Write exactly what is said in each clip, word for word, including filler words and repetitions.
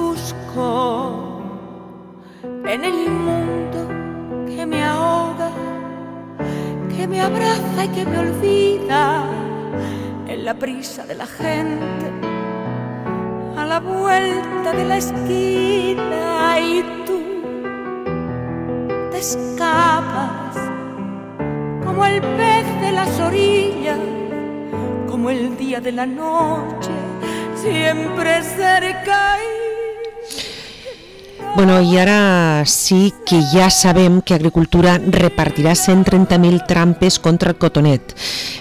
busco en el mundo que me ahoga, que me abraza y que me olvida, en la prisa de la gente, a la vuelta de la esquina, y tú te escapas como el pez de las orillas, como el día de la noche, siempre cerca. Bueno, i ara sí que ja sabem que Agricultura repartirà cent trenta mil trampes contra el cotonet.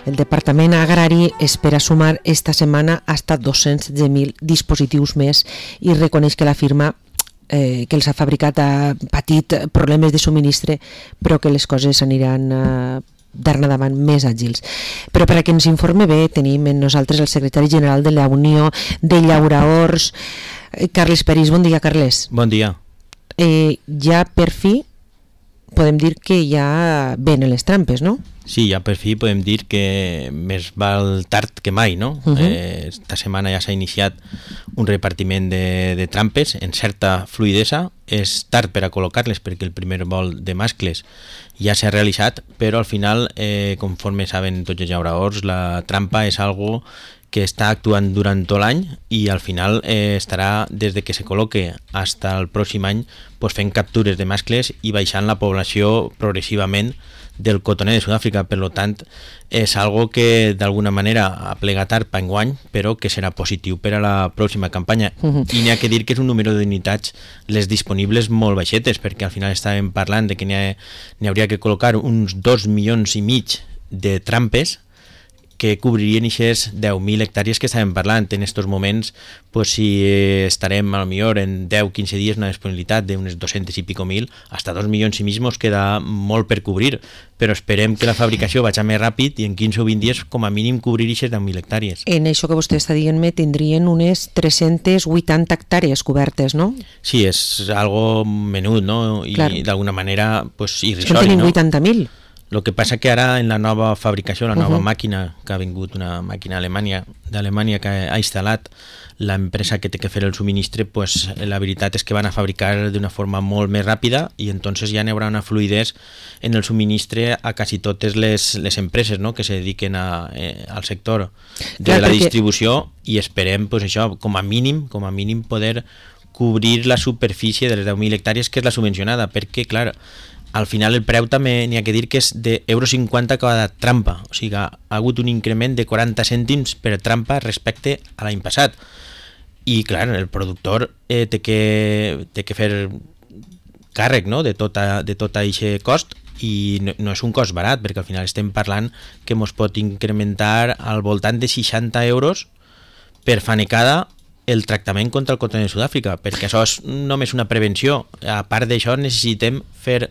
El Departament Agrari espera sumar esta setmana hasta dos-cents setze mil dispositius més i reconeix que la firma eh, que els ha fabricat ha patit problemes de subministre, però que les coses aniran eh, d'ara endavant més àgils. Però per a que ens informe bé tenim en nosaltres el secretari general de la Unió de Llauraors, Carles Peris. Bon dia, Carles. Bon dia. Eh, ja per fi podem dir que ja venen les trampes, no? Sí, ja per fi podem dir que més val tard que mai, no? Uh -huh. eh, esta setmana ja s'ha iniciat un repartiment de, de trampes en certa fluidesa. És tard per a col·locar-les perquè el primer vol de mascles ja s'ha realitzat, però al final, eh, conforme saben tots els llauraors, la trampa és algo que està actuant durant tot l'any i al final eh, estarà des de que se col·loque fins al pròxim any pues, fent captures de mascles i baixant la població progressivament del cotoner de Sud-àfrica. Per tant, és algo que d'alguna manera ha plegat tard per enguany, però que serà positiu per a la pròxima campanya. Uh-huh. I n'hi ha que dir que és un número d'unitats les disponibles molt baixetes, perquè al final estàvem parlant de que n'hi, ha, n'hi hauria que col·locar uns dos milions i mig de trampes que cobririen aquestes deu mil hectàrees que estàvem parlant. En aquests moments, pues, si estarem a lo millor en deu a quinze dies una disponibilitat d'unes dos-cents i pico mil, hasta dos milions i mig ens queda molt per cobrir, però esperem que la fabricació vagi més ràpid i en quinze o vint dies com a mínim cobrir aquestes deu mil hectàrees. En això que vostè està dient-me tindrien unes tres-centes vuitanta hectàrees cobertes, no? Sí, és algo menut, no? I clar, d'alguna manera pues, irrisori, no? Tenim vuitanta mil. El que passa que ara en la nova fabricació, la nova uh-huh. màquina, que ha vingut una màquina Alemanya, d'Alemanya que ha instal·lat l'empresa que té que fer el subministre, pues, la veritat és que van a fabricar d'una forma molt més ràpida i entonces ja n'hi haurà una fluidesa en el subministre a quasi totes les, les empreses, no?, que se dediquen a, eh, al sector de clar, la perquè... distribució, i esperem pues, això, com a mínim, com a mínim poder cobrir la superfície de les deu mil hectàrees que és la subvencionada, perquè clar, al final el preu també n'hi ha que dir que és d'euro cinquanta cada trampa, o sigui ha hagut un increment de quaranta cèntims per trampa respecte a l'any passat, i clar, el productor eh, té, que, té que fer càrrec, no?, de tot de tot aquest cost, i no, no és un cost barat, perquè al final estem parlant que ens pot incrementar al voltant de seixanta euros per fanecada el tractament contra el cotoner de Sud-àfrica, perquè això és només una prevenció. A part d'això necessitem fer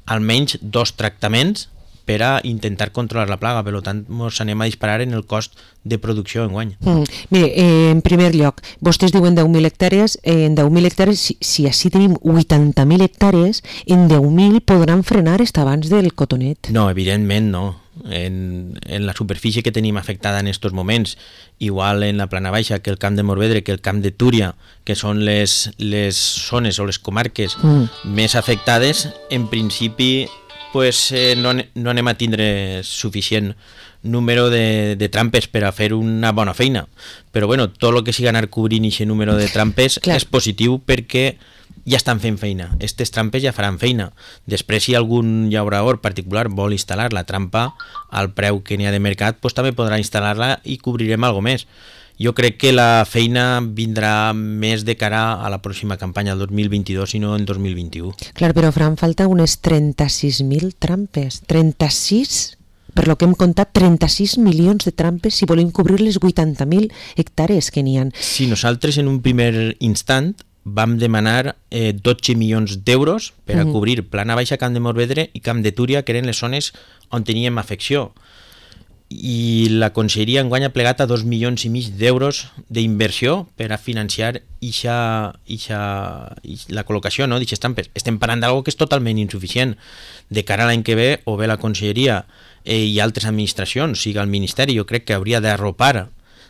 almenys dos tractaments per a intentar controlar la plaga, per tant ens anem a disparar en el cost de producció enguany. Mm. Mire, eh, en primer lloc, vostès diuen deu mil hectàrees, eh, en deu mil hectàrees, si, si així tenim vuitanta mil hectàrees, en deu mil podran frenar hasta abans del cotonet? No, evidentment no. En, en la superfície que tenim afectada en aquests moments, igual en la Plana Baixa que el camp de Morvedre, que el camp de Túria, que són les, les zones o les comarques mm. més afectades, en principi pues, eh, no, no anem a tindre suficient número de, de trampes per a fer una bona feina, però bueno, tot el que sigui anar cobrint aquest número de trampes clar, és positiu perquè ja estan fent feina, aquestes trampes ja faran feina. Després, si algun llaurador particular vol instal·lar la trampa al preu que n'hi ha de mercat, pues, també podrà instal·lar-la i cobrirem alguna més. Jo crec que la feina vindrà més de cara a la pròxima campanya, el dos mil vint-i-dos, i no en dos mil vint-i-u. Clar, però faran falta unes trenta-sis mil trampes. trenta-sis? Per lo que hem comptat, trenta-sis milions de trampes si volem cobrir les vuitanta mil hectàrees que n'hi ha. Si nosaltres en un primer instant vam demanar eh, dotze milions d'euros per a uh-huh. cobrir Plana Baixa, Camp de Morvedre i Camp de Túria, que eren les zones on teníem afecció. I la Conselleria enguany ha plegat a dos milions i mig d'euros d'inversió per a financiar ixa, ixa, ixa, la col·locació, no?, d'aquestes trampes. Estem parlant d'algo que és totalment insuficient. De cara a l'any que ve, o bé la Conselleria eh, i altres administracions, sigui el Ministeri, jo crec que hauria d'arropar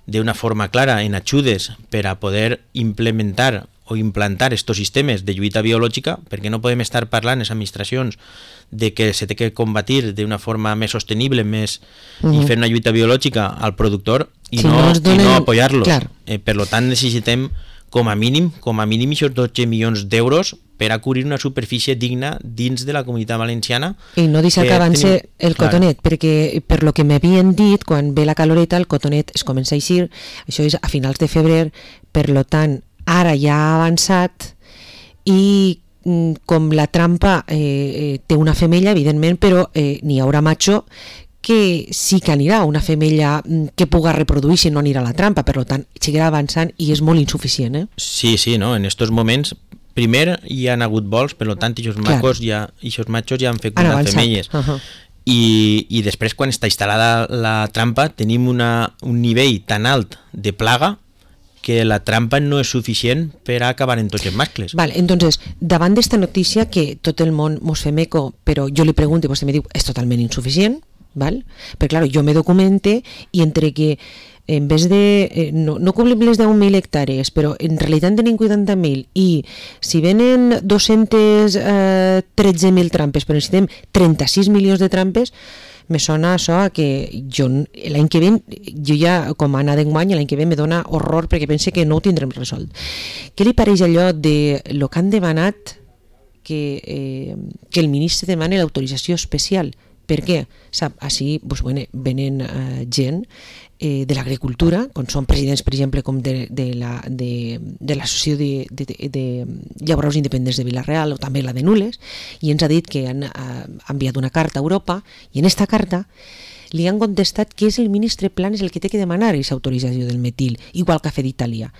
d'una forma clara en ajudes per a poder implementar o implantar estos sistemes de lluita biològica, perquè no podem estar parlant les administracions de que se té que combatir d'una forma més sostenible més, uh-huh. i fer una lluita biològica al productor i, si no, no, donen... i no apoyar-los. Eh, per tant, necessitem com a mínim, com a mínim aquests dotze milions d'euros per a cobrir una superfície digna dins de la Comunitat Valenciana. I no deixar que avance tenim... el cotonet, clar. Perquè per lo que m'havien dit, quan ve la caloreta, el cotonet es comença a eixir, això és a finals de febrer, per lo tant, ara ja ha avançat i com la trampa eh, eh, té una femella, evidentment, però eh, n'hi haurà macho que sí que anirà, una femella que puga reproduir-se no anirà a la trampa, per tant, seguirà avançant i és molt insuficient. Eh? Sí, sí, no? En aquests moments, primer hi han hagut vols, per tant, aquests macos ja, aquests machos ja han fecundat femelles. Uh-huh. I, I després, quan està instal·lada la trampa, tenim una, un nivell tan alt de plaga que la trampa no és suficient per a acabar en tots els mascles. Vale, entonces, davant d'esta notícia que tot el món mos fem eco, però jo li pregunto i vostè me diu és totalment insuficient, val? Perquè, clar, jo me documente i entre que en vez de, eh, no, no cobrim les deu mil hectàrees, però en realitat en tenim vuitanta mil i si venen dos-cents tretze mil trampes, però necessitem trenta-sis milions de trampes, me sona això que jo l'any que ve, jo ja com a anar d'enguany, l'any que ve me dona horror perquè pense que no ho tindrem resolt. Què li pareix allò de lo que han demanat que, eh, que el ministre demani l'autorització especial? Per què? Sap, així pues, bueno, venen uh, gent eh, de l'agricultura, com són presidents, per exemple, com de, de, la, de, de l'associació de, de, de, de llaboraus independents de Vila-real o també la de Nules, i ens ha dit que han uh, enviat una carta a Europa i en esta carta li han contestat que és el ministre Planes el que té que demanar aquesta autorització del metil, igual que ha fet Itàlia.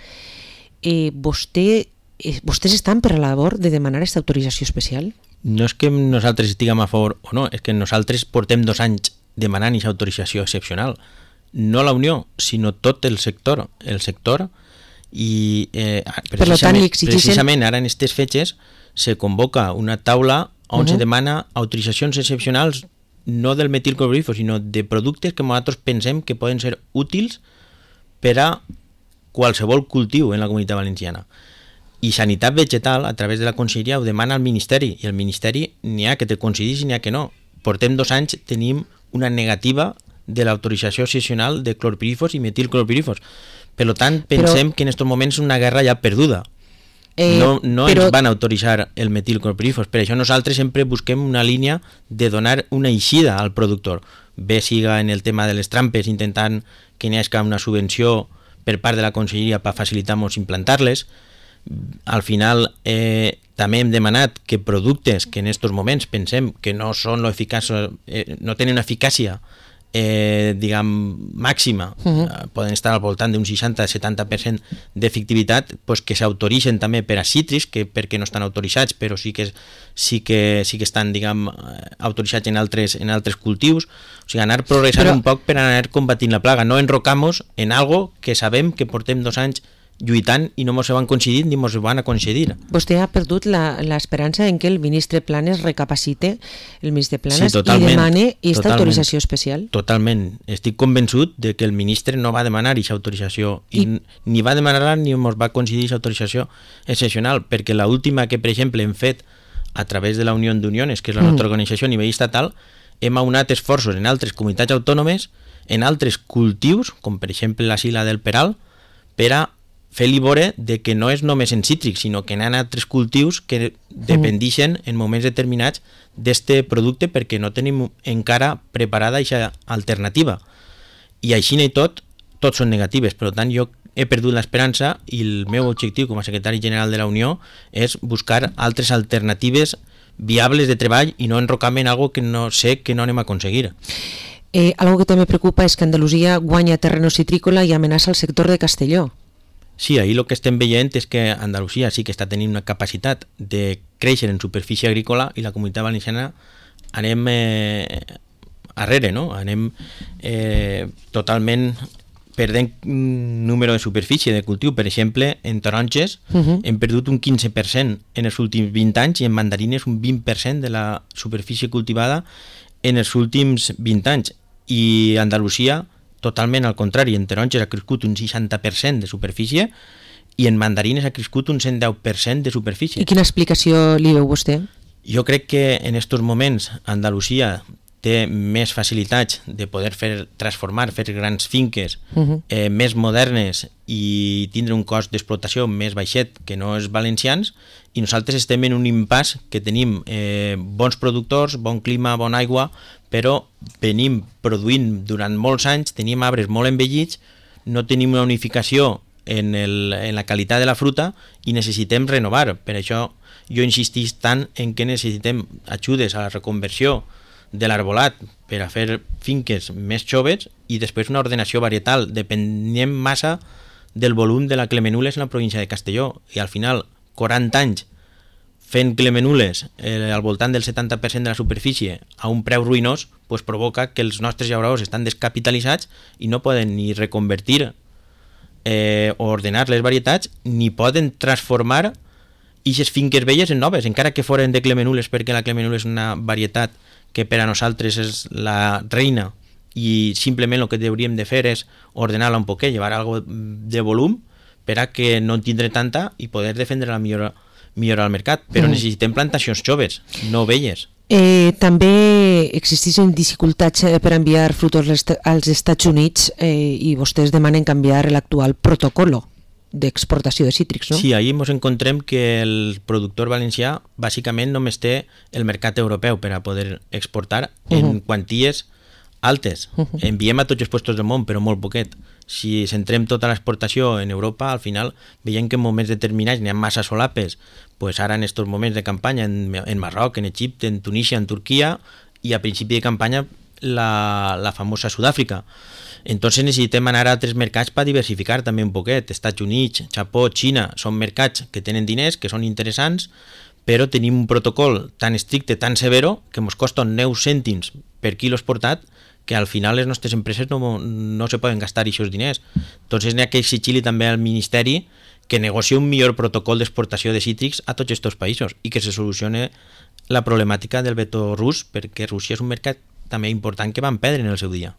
Eh, vostè, eh, vostès estan per a la labor de demanar aquesta autorització especial? No és que nosaltres estiguem a favor o no, és que nosaltres portem dos anys demanant aquesta autorització excepcional. No la Unió, sinó tot el sector. El sector i eh, precisament, precisament ara en aquestes fetges se convoca una taula on uh-huh. se demana autoritzacions excepcionals no del metilclorhídrico, sinó de productes que nosaltres pensem que poden ser útils per a qualsevol cultiu en la Comunitat Valenciana. I Sanitat Vegetal, a través de la Conselleria, ho demana al Ministeri, i el Ministeri n'hi ha que te coincidís i n'hi ha que no. Portem dos anys, tenim una negativa de l'autorització excepcional de clorpirifos i metilclorpirifos. Per tant, pensem però... que en aquests moments és una guerra ja perduda. Eh, no no però... ens van autoritzar el metilclorpirifos. Per això nosaltres sempre busquem una línia de donar una eixida al productor. Bé siga en el tema de les trampes, intentant que n'hi hagi una subvenció per part de la Conselleria per facilitar-nos implantar-les. Al final eh, també hem demanat que productes que en aquests moments pensem que no són lo eficaç, eh, no tenen una eficàcia eh, diguem màxima, uh-huh. eh, poden estar al voltant d'un seixanta a setanta per cent d'efectivitat, pues que s'autoritzen també per a cítrics, que perquè no estan autoritzats però sí que, sí que, sí que estan diguem, autoritzats en altres, en altres cultius. O sigui, anar progressant però... un poc per anar combatint la plaga, no enrocamos en algo que sabem que portem dos anys lluitant i no ens ho han concedit ni ens ho van a concedir. Vostè ha perdut l'esperança en que el ministre Planes recapacite el ministre Planes sí, i demane aquesta autorització especial? Totalment. Estic convençut de que el ministre no va demanar aquesta autorització i, I... ni va demanar ni ens va concedir aquesta autorització excepcional, perquè l'última que, per exemple, hem fet a través de la Unió d'Uniones, que és la mm. nostra organització a nivell estatal, hem aunat esforços en altres comunitats autònomes, en altres cultius, com per exemple la Sila del Peral, per a fer-li veure de que no és només en cítrics, sinó que hi ha altres cultius que dependixen en moments determinats d'aquest producte perquè no tenim encara preparada aquesta alternativa. I així i tot, tots són negatives. Per tant, jo he perdut l'esperança i el meu objectiu com a secretari general de la Unió és buscar altres alternatives viables de treball i no enrocar-me en algo que no sé que no anem a aconseguir. Eh, algo que també preocupa és que Andalusia guanya terreno citrícola i amenaça el sector de Castelló. Sí, ahir el que estem veient és que Andalusia sí que està tenint una capacitat de créixer en superfície agrícola i la Comunitat Valenciana anem eh, arrere, no? Anem eh, totalment perdent número de superfície de cultiu. Per exemple, en taronges uh-huh. hem perdut un quinze per cent en els últims vint anys i en mandarines un vint per cent de la superfície cultivada en els últims vint anys. I Andalusia totalment al contrari, en taronges ha crescut un seixanta per cent de superfície i en mandarines ha crescut un cent deu per cent de superfície. I quina explicació li veu vostè? Jo crec que en aquests moments Andalusia té més facilitats de poder fer transformar, fer grans finques uh-huh. eh, més modernes i tindre un cost d'explotació més baixet que no els valencians, i nosaltres estem en un impàs que tenim eh, bons productors, bon clima, bona aigua, però venim produint durant molts anys, tenim arbres molt envellits, no tenim una unificació en, el, en la qualitat de la fruta i necessitem renovar. Per això jo insistís tant en que necessitem ajudes a la reconversió de l'arbolat per a fer finques més joves i després una ordenació varietal. Depenem massa del volum de la clemenules en la província de Castelló i al final quaranta anys fent clemenules eh, al voltant del setanta per cent de la superfície a un preu ruïnós, pues provoca que els nostres llauradors estan descapitalitzats i no poden ni reconvertir eh, o ordenar les varietats ni poden transformar aquestes finques velles en noves, encara que foren de clemenules, perquè la clemenula és una varietat que per a nosaltres és la reina i simplement el que hauríem de fer és ordenar-la un poquet, llevar algo de volum per a que no en tindre tanta i poder defendre-la millor, millor al mercat, però mm. necessitem plantacions joves, no velles. Eh, també existeixen dificultats per enviar frutos als Estats Units eh, i vostès demanen canviar l'actual protocolo d'exportació de cítrics, no? Sí, ahí ens encontrem que el productor valencià bàsicament només té el mercat europeu per a poder exportar en uh-huh. quanties altes. Uh-huh. Enviem a tots els puestos del món, però molt poquet. Si centrem tota l'exportació en Europa, al final veiem que en moments determinats n'hi ha massa solapes, pues ara en aquests moments de campanya en, en Marroc, en Egipte, en Tunísia, en Turquia, i a principi de campanya la, la famosa Sud-àfrica. Entonces necessitem anar a altres mercats per diversificar també un poquet. Estats Units, Japó, Xina són mercats que tenen diners, que són interessants, però tenim un protocol tan estricte, tan severo, que ens costa nou cèntims per quilo exportat, que al final les nostres empreses no, no se poden gastar aquests diners. Entonces n'hi ha que exigir també al Ministeri que negocie un millor protocol d'exportació de cítrics a tots aquests països i que se solucione la problemàtica del veto rus, perquè Rússia és un mercat també important que van perdre en el seu dia.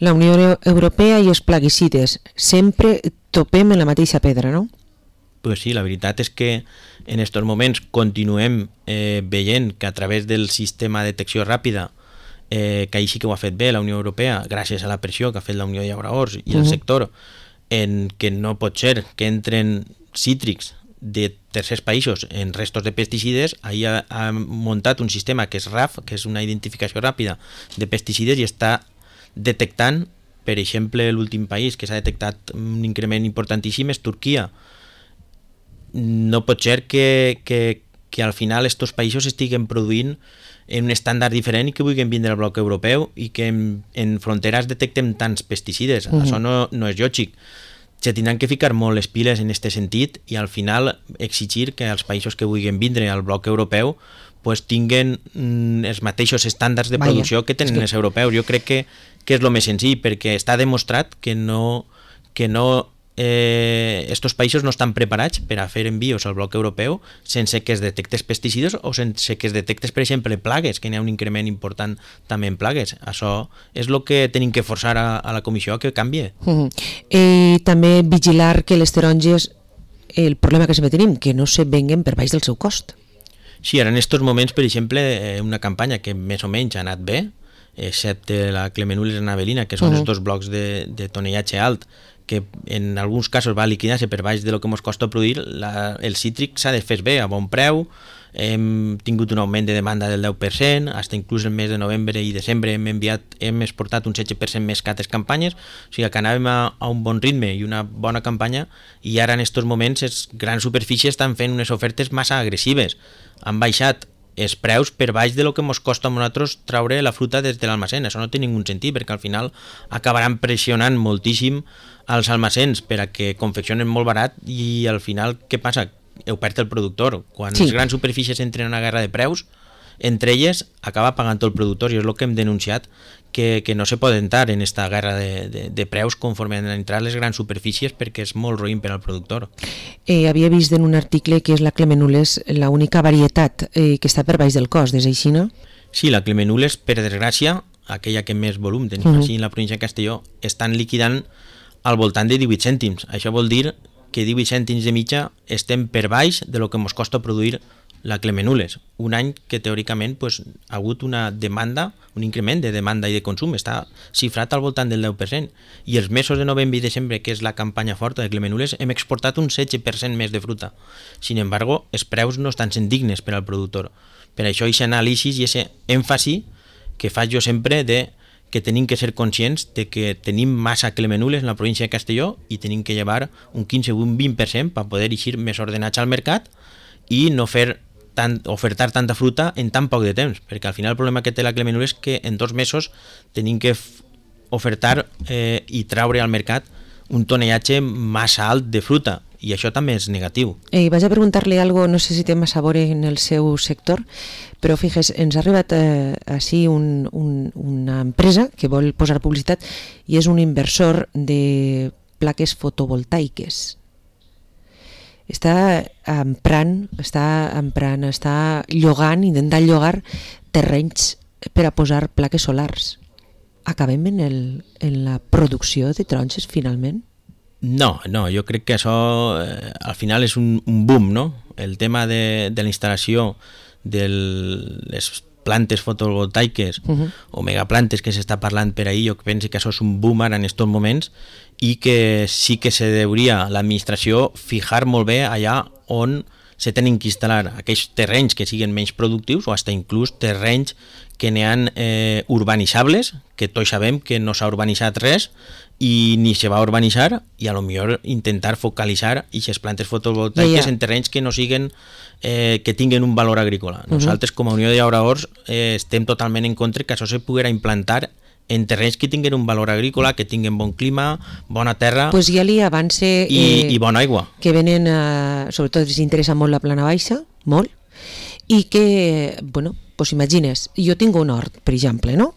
La Unió Europea i els plaguicides, sempre topem en la mateixa pedra, no? Pues sí, la veritat és que en aquests moments continuem eh, veient que a través del sistema de detecció ràpida, eh, que ahir sí que ho ha fet bé la Unió Europea, gràcies a la pressió que ha fet la Unió de Llauradors i el uh-huh. sector, en que no pot ser que entren cítrics de tercers països en restos de pesticides. Ahir ha, ha muntat un sistema que és R A F, que és una identificació ràpida de pesticides, i està detectant, per exemple, l'últim país que s'ha detectat un increment importantíssim és Turquia. No pot ser que, que, que al final aquests països estiguen produint en un estàndard diferent i que vulguin vindre al bloc europeu i que en, en fronteres detectem tants pesticides. Uh-huh. Això no, no és lògic. Se tindran que ficar molt les piles en aquest sentit i al final exigir que els països que vulguin vindre al bloc europeu pues tinguen mm, els mateixos estàndards de Vaya, producció que tenen que... els europeus. Jo crec que, que és el més senzill, perquè està demostrat que no, que no eh, estos països no estan preparats per a fer envios al bloc europeu sense que es detectes pesticides o sense que es detectes, per exemple, plagues, que n'hi ha un increment important també en plagues. Això és el que tenim que forçar a, a la comissió que canvie. Uh-huh. I també vigilar que les taronges, el problema que sempre tenim, que no se venguen per baix del seu cost. Sí, ara en aquests moments, per exemple, una campanya que més o menys ha anat bé, excepte la Clemenules Anavelina, que són uh-huh. els dos blocs de, de tonellatge alt, que en alguns casos va liquidar-se per baix de lo que ens costa produir, la, el cítric s'ha de fer bé, a bon preu. Hem tingut un augment de demanda del deu per cent, fins inclús el mes de novembre i desembre hem enviat, hem exportat un setze per cent més que altres campanyes, o sigui que anàvem a, a un bon ritme i una bona campanya, i ara en aquests moments les grans superfícies estan fent unes ofertes massa agressives. Han baixat els preus per baix de lo que ens costa a nosaltres traure la fruta des de l'almacén. Això no té ningú sentit, perquè al final acabaran pressionant moltíssim als almacens per a que confeccionen molt barat i al final què passa? Ho perd el productor. Quan sí. les grans superfícies entren en una guerra de preus, entre elles acaba pagant el productor, i és el que hem denunciat, que, que no se pot entrar en aquesta guerra de, de, de preus conforme han entrat les grans superfícies, perquè és molt roïn per al productor. Eh, havia vist en un article que és la Clemenules l'única varietat eh, que està per baix del cost, és així, no? Sí, la Clemenules, per desgràcia, aquella que més volum tenim uh-huh. així en la província de Castelló, estan liquidant al voltant de divuit cèntims. Això vol dir que divuit cèntims de mitja estem per baix de lo que ens costa produir la Clemenules, un any que teòricament pues, ha hagut una demanda, un increment de demanda i de consum, està xifrat al voltant del deu per cent, i els mesos de novembre i desembre, que és la campanya forta de Clemenules, hem exportat un setze per cent més de fruta. Sin embargo, els preus no estan sent dignes per al productor. Per això, aquest anàlisi i aquest èmfasi que faig jo sempre de que tenim que ser conscients de que tenim massa Clemenules en la província de Castelló i tenim que llevar un quinze o un vint per cent per poder eixir més ordenats al mercat i no fer tant, ofertar tanta fruta en tan poc de temps, perquè al final el problema que té la Clemenules és que en dos mesos tenim que ofertar eh, i traure al mercat un tonellatge massa alt de fruta, i això també és negatiu. Eh, vaig a preguntar-li algo, no sé si té massa a veure en el seu sector, però fixes, ens ha arribat eh, així un, un, una empresa que vol posar publicitat i és un inversor de plaques fotovoltaiques. Està emprant, està emprant, està llogant, intentant llogar terrenys per a posar plaques solars. Acabem en, el, en la producció de taronges, finalment? No, no, jo crec que això eh, al final és un, un boom, no? El tema de, de la instal·lació de les plantes fotovoltaiques uh-huh. o megaplantes que s'està parlant per ahir, jo penso que això és un boom ara en aquests moments i que sí que se deuria l'administració fijar molt bé allà on se tenen que instal·lar aquells terrenys que siguin menys productius o fins inclús terrenys que n'hi ha eh, urbanitzables, que tots sabem que no s'ha urbanitzat res i ni se va urbanitzar, i a lo millor intentar focalitzar aquestes plantes fotovoltaiques yeah, yeah. en terrenys que no siguen eh, que tinguin un valor agrícola. Uh-huh. Nosaltres com a Unió de Llauradors eh, estem totalment en contra que això se poguera implantar en terrenys que tinguin un valor agrícola, que tinguin bon clima, bona terra pues ja li avance, i, eh, i bona aigua. Que venen, eh, sobretot els interessa molt la plana baixa, molt, i que, bueno, pues imagines, jo tinc un hort, per exemple, no?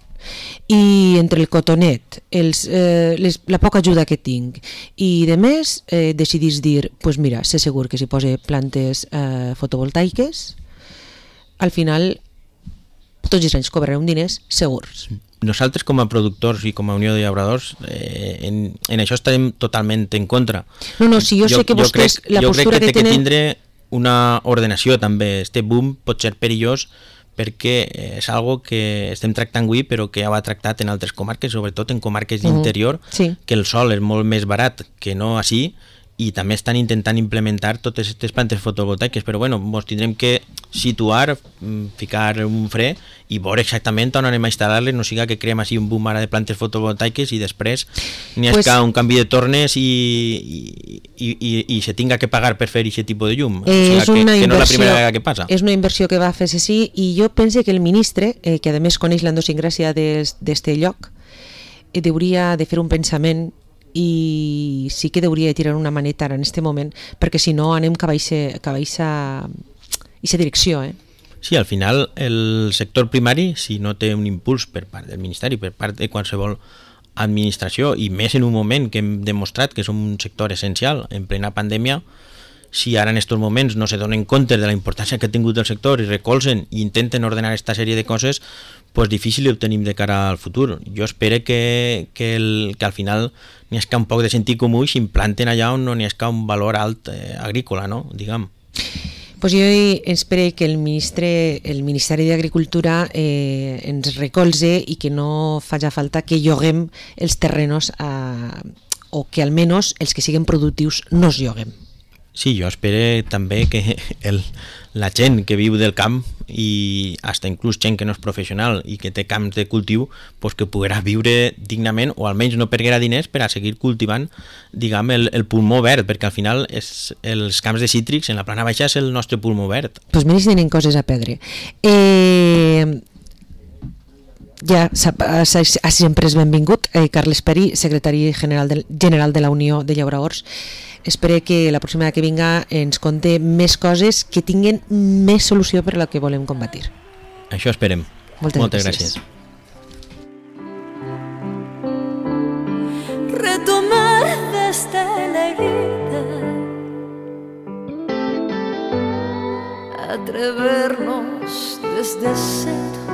I entre el cotonet, els, eh, les, la poca ajuda que tinc i de més, eh, decidís dir, pues mira, sé segur que si posa plantes eh, fotovoltaiques, al final tots els anys cobrarem diners segurs. Nosaltres com a productors i com a Unió de Llauradors eh, en, en això estarem totalment en contra. No, no, si jo, jo sé que vostès crec, la postura que, que, que tenen... Jo crec que té que tindre una ordenació també. Este boom pot ser perillós perquè és algo que estem tractant avui però que ja va tractat en altres comarques, sobretot en comarques d'interior, uh-huh. sí. que el sol és molt més barat que no així, i també estan intentant implementar totes aquestes plantes fotovoltaiques, però bueno, ens tindrem que situar, ficar un fre i veure exactament on anem a instal·lar-les, no siga que creem així un boom ara de plantes fotovoltaiques i després n'hi ha pues, un canvi de tornes i, i, i, i, i se tinga que pagar per fer aquest tipus de llum. Eh, o sigui, que, que no és la primera vegada que passa. És una inversió que va fer sí, i jo penso que el ministre, eh, que a més coneix l'endosingràcia d'este lloc, eh, hauria de fer un pensament i sí que hauria de tirar una maneta ara en aquest moment, perquè si no anem cap a aquesta direcció. Eh? Sí, al final el sector primari, si no té un impuls per part del Ministeri, per part de qualsevol administració, i més en un moment que hem demostrat que som un sector essencial en plena pandèmia, si ara en aquests moments no se donen compte de la importància que ha tingut el sector i recolzen i intenten ordenar aquesta sèrie de coses, pues difícil ho tenim de cara al futur. Jo espero que, que, el, que al final n'hi hagi un poc de sentit comú i s'implanten allà on no n'hi hagi un valor alt eh, agrícola, no? Diguem. Pues jo espero que el ministre, el Ministeri d'Agricultura eh, ens recolze i que no faci falta que lloguem els terrenos a, o que almenys els que siguin productius no els lloguem. Sí, jo espero també que el, la gent que viu del camp i fins inclús gent que no és professional i que té camps de cultiu, pues que poguerà viure dignament o almenys no perguerà diners per a seguir cultivant, diguem, el, el pulmó verd, perquè al final és, els camps de cítrics en la plana baixa és el nostre pulmó verd. Doncs pues mira si tenen coses a perdre. Eh... Ja sempre és benvingut eh, Carles Perí, secretari general de, general de la Unió de Llauradors. Espero que la pròxima que vinga ens conte més coses que tinguen més solució per a la que volem combatir. Això esperem. Moltes, Moltes gràcies. gràcies. Retomar desde la herida, atrevernos desde cero